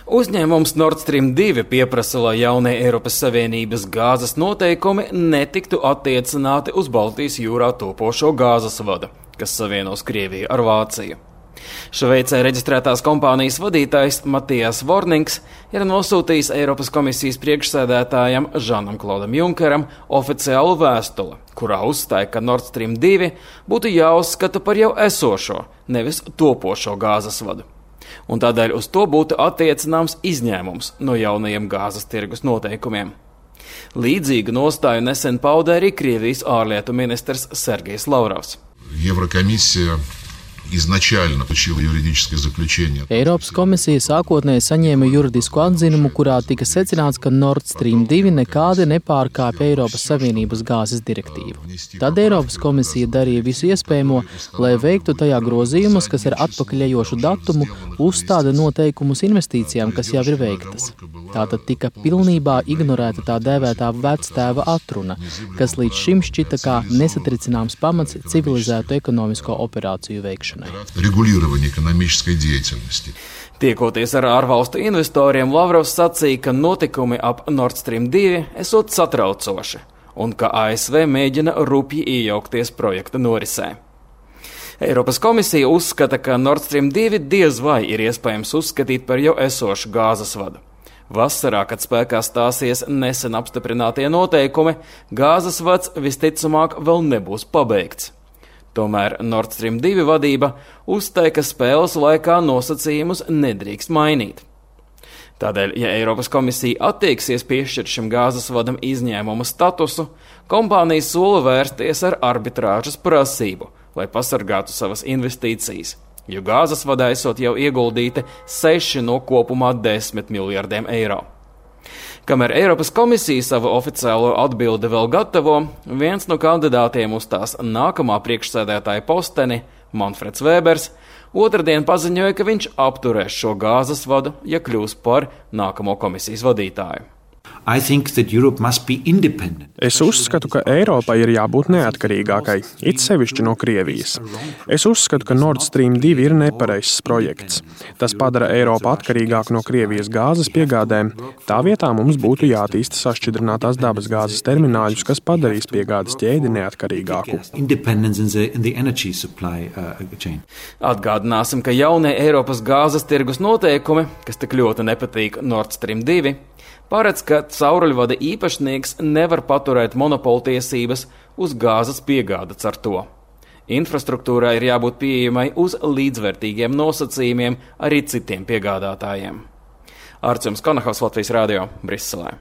Uzņēmums Nord Stream 2 pieprasa, lai jaunie Eiropas Savienības gāzes noteikumi netiktu attiecināti uz Baltijas jūrā topošo gāzes vadu, kas savienos Krieviju ar Vāciju. Šveicē reģistrētās kompānijas vadītājs Matijas Vornings ir nosūtījis Eiropas komisijas priekšsēdētājam Žanam Klodam Junkeram oficiālu vēstuli, kurā uzstāja, ka Nord Stream 2 būtu jāuzskata par jau esošo, nevis topošo gāzes vadu. Un tādēļ uz to būtu attiecināms izņēmums no jaunajiem gāzes tirgus noteikumiem. Līdzīgu nostāju nesen pauda arī Krievijas ārlietu ministrs Sergejs Lavrovs. Eiropas komisija sākotnēji saņēma juridisku atzinumu, kurā tika secināts, ka Nord Stream 2 nekādi nepārkāpja Eiropas Savienības gāzes direktīvu. Tad Eiropas komisija darīja visu iespējamo, lai veiktu tajā grozījumus, kas ar atpakaļejošu datumu uzstāda noteikumus investīcijām, kas jau ir veiktas. Tātad tika pilnībā ignorēta tā dēvētā vectēva atruna, kas līdz šim šķita kā nesatricināms pamats civilizētu ekonomisko operāciju veikšanai. Tiekoties ar ārvalstu investoriem, Lavrovs sacīja, ka notikumi ap Nord Stream 2 esot satraucoši un ka ASV mēģina rupji iejaukties projekta norisē. Eiropas komisija uzskata, ka Nord Stream 2 diez vai ir iespējams uzskatīt par jau esošu gāzes vadu. Vasarā, kad spēkā stāsies nesen apstiprinātie noteikumi, gāzes vads visticamāk vēl nebūs pabeigts. Tomēr Nord Stream 2 vadība uzstāja, ka spēles laikā nosacījumus nedrīkst mainīt. Tādēļ, ja Eiropas komisija attieksies piešķirt šim gāzes vadam izņēmuma statusu, kompānija sola vērsties ar arbitrāžas prasību, lai pasargātu savas investīcijas, jo gāzes vadā esot jau ieguldīti 6 no kopumā 10 miljardiem eiro. Kamēr Eiropas komisija savu oficiālo atbildi vēl gatavo, viens no kandidātiem uz tās nākamā priekšsēdētāja posteni, Manfreds Vēbers, otrdien paziņoja, ka viņš apturēs šo gāzes vadu, ja kļūs par nākamo komisijas vadītāju. Es uzskatu, ka Eiropai ir jābūt neatkarīgākai, it sevišķi no Krievijas. Es uzskatu, ka Nord Stream 2 ir nepareizs projekts. Tas padara Eiropu atkarīgāku no Krievijas gāzes piegādēm. Tā vietā mums būtu jātīsta sašķidrinātās dabas gāzes termināļus, kas padarīs piegādes ķēdi neatkarīgāku. Atgādināsim, ka jaunie Eiropas gāzes tirgus noteikumi, kas tik ļoti nepatīk Nord Stream 2, paredz, ka cauruļvada īpašnieks nevar paturēt monopoltiesības uz gāzes piegādes ar to. Infrastruktūrai ir jābūt pieejamai uz līdzvērtīgiem nosacījumiem arī citiem piegādātājiem. Arčuns Konahaus, Latvijas radio, Briselē.